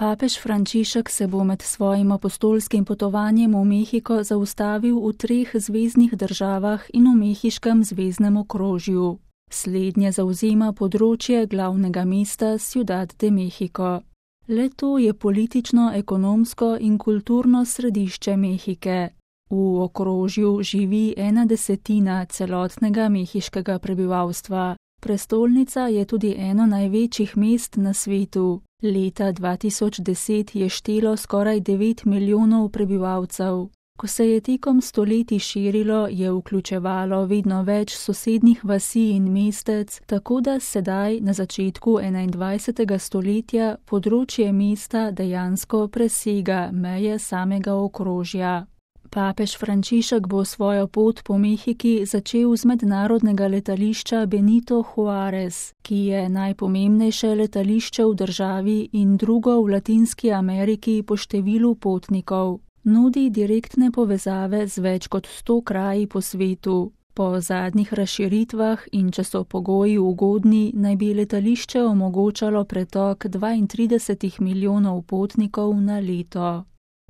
Papež Frančišek se bo med svojim apostolskim potovanjem v Mehiko zaustavil v 3 zveznih državah in v mehiškem zveznem okrožju. Slednje zavzema področje glavnega mesta Ciudad de México. Le-to je politično, ekonomsko in kulturno središče Mehike. V okrožju živi 1/10 celotnega mehiškega prebivalstva. Prestolnica je tudi eno največjih mest na svetu. Leta 2010 je štelo skoraj 9 milijonov prebivalcev. Ko se je tekom stoletij širilo, je vključevalo vedno več sosednjih vasi in mestec, tako da sedaj, na začetku 21. stoletja, področje mesta dejansko presega meje samega okrožja. Papež Frančišek bo svojo pot po Mehiki začel z mednarodnega letališča Benito Juárez, ki je najpomembnejše letališče v državi in drugo v Latinski Ameriki po številu potnikov. Nudi direktne povezave z več kot 100 kraji po svetu. Po zadnjih razširitvah in če so pogoji ugodni, naj bi letališče omogočalo pretok 32 milijonov potnikov na leto.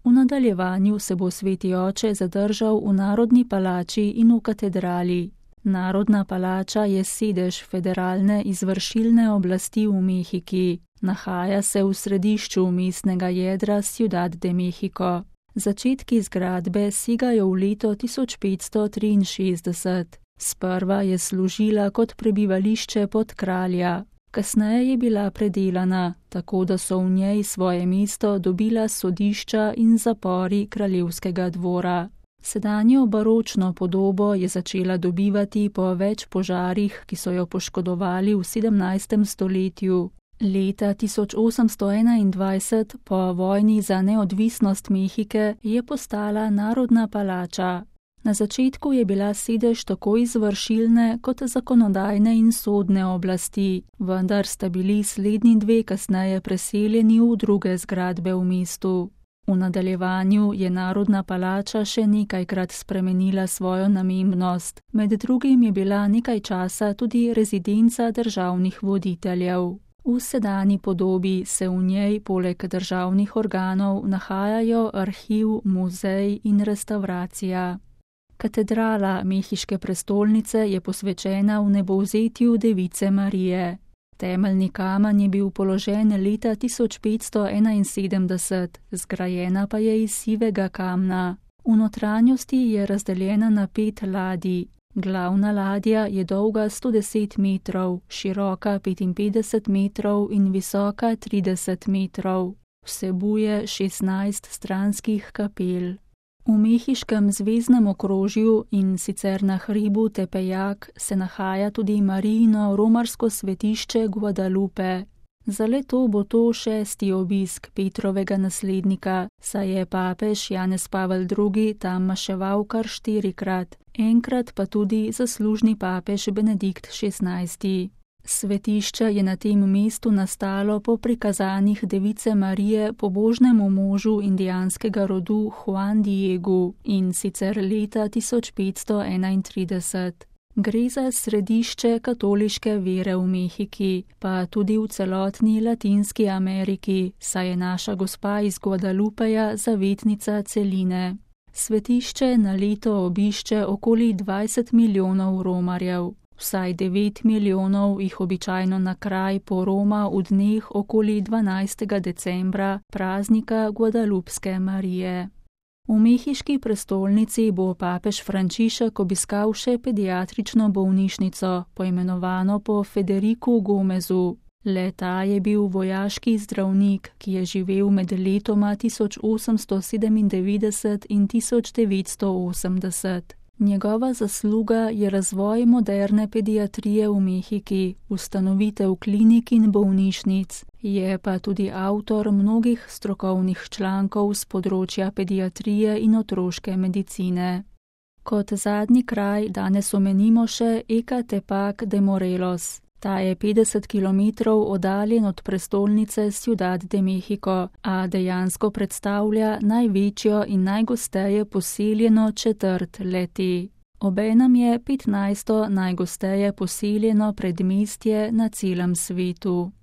V nadaljevanju se bo sveti oče zadržal v Narodni palači in v katedrali. Narodna palača je sedež federalne izvršilne oblasti v Mehiki. Nahaja se v središču mestnega jedra Ciudad de México. Začetki zgradbe segajo v leto 1563. Sprva je služila kot prebivališče podkralja. Kasneje je bila predelana, tako da so v njej svoje mesto dobila sodišča in zapori kraljevskega dvora. Sedanjo baročno podobo je začela dobivati po več požarih, ki so jo poškodovali v 17. stoletju. Leta 1821, po vojni za neodvisnost Mehike, je postala Narodna palača. Na začetku je bila sedež tako izvršilne kot zakonodajne in sodne oblasti, vendar sta bili slednji 2 kasneje preseljeni v druge zgradbe v mestu. V nadaljevanju je Narodna palača še nekajkrat spremenila svojo namembnost. Med drugim je bila nekaj časa tudi rezidenca državnih voditeljev. V sedanji podobi se v njej poleg državnih organov nahajajo arhiv, muzej in restavracija. Katedrala mehiške prestolnice je posvečena vnebovzetju Device Marije. Temeljni kamen je bil položen leta 1571, zgrajena pa je iz sivega kamna. V notranjosti je razdeljena na 5 ladij. Glavna ladja je dolga 110 metrov, široka 55 metrov in visoka 30 metrov. Vsebuje 16 stranskih kapel. V mehiškem zveznem okrožju in sicer na hribu Tepeyac se nahaja tudi Marijino romarsko svetišče Guadalupe. Za leto bo to 6. obisk Petrovega naslednika, saj je papež Janez Pavel II. Tam maševal kar 4-krat, enkrat pa tudi zaslužni papež Benedikt XVI. Svetišče je na tem mestu nastalo po prikazanjih Device Marije pobožnemu možu indijanskega rodu Juan Diegu in sicer leta 1531. Gre za središče katoliške vere v Mehiki, pa tudi v celotni Latinski Ameriki, saj je naša gospa iz Guadalupeja zavetnica celine. Svetišče na leto obišče okoli 20 milijonov romarjev. Vsaj 9 milijonov jih običajno na kraj poroma v dneh okoli 12. decembra, praznika Guadalupske Marije. V mehiški prestolnici bo papež Frančišek obiskal še pediatrično bolnišnico, poimenovano po Federiku Gomezu. Le-ta je bil vojaški zdravnik, ki je živel med letoma 1897 in 1980. Njegova zasluga je razvoj moderne pediatrije v Mehiki, ustanovitev klinik in bolnišnic, je pa tudi avtor mnogih strokovnih člankov z področja pediatrije in otroške medicine. Kot zadnji kraj danes omenimo še Ecatepec de Morelos. Ta je 50 kilometrov oddaljen od prestolnice Ciudad de México, a dejansko predstavlja največjo in najgosteje poseljeno četrt le-te. Obenem je 15. najgosteje poseljeno predmestje na celem svetu.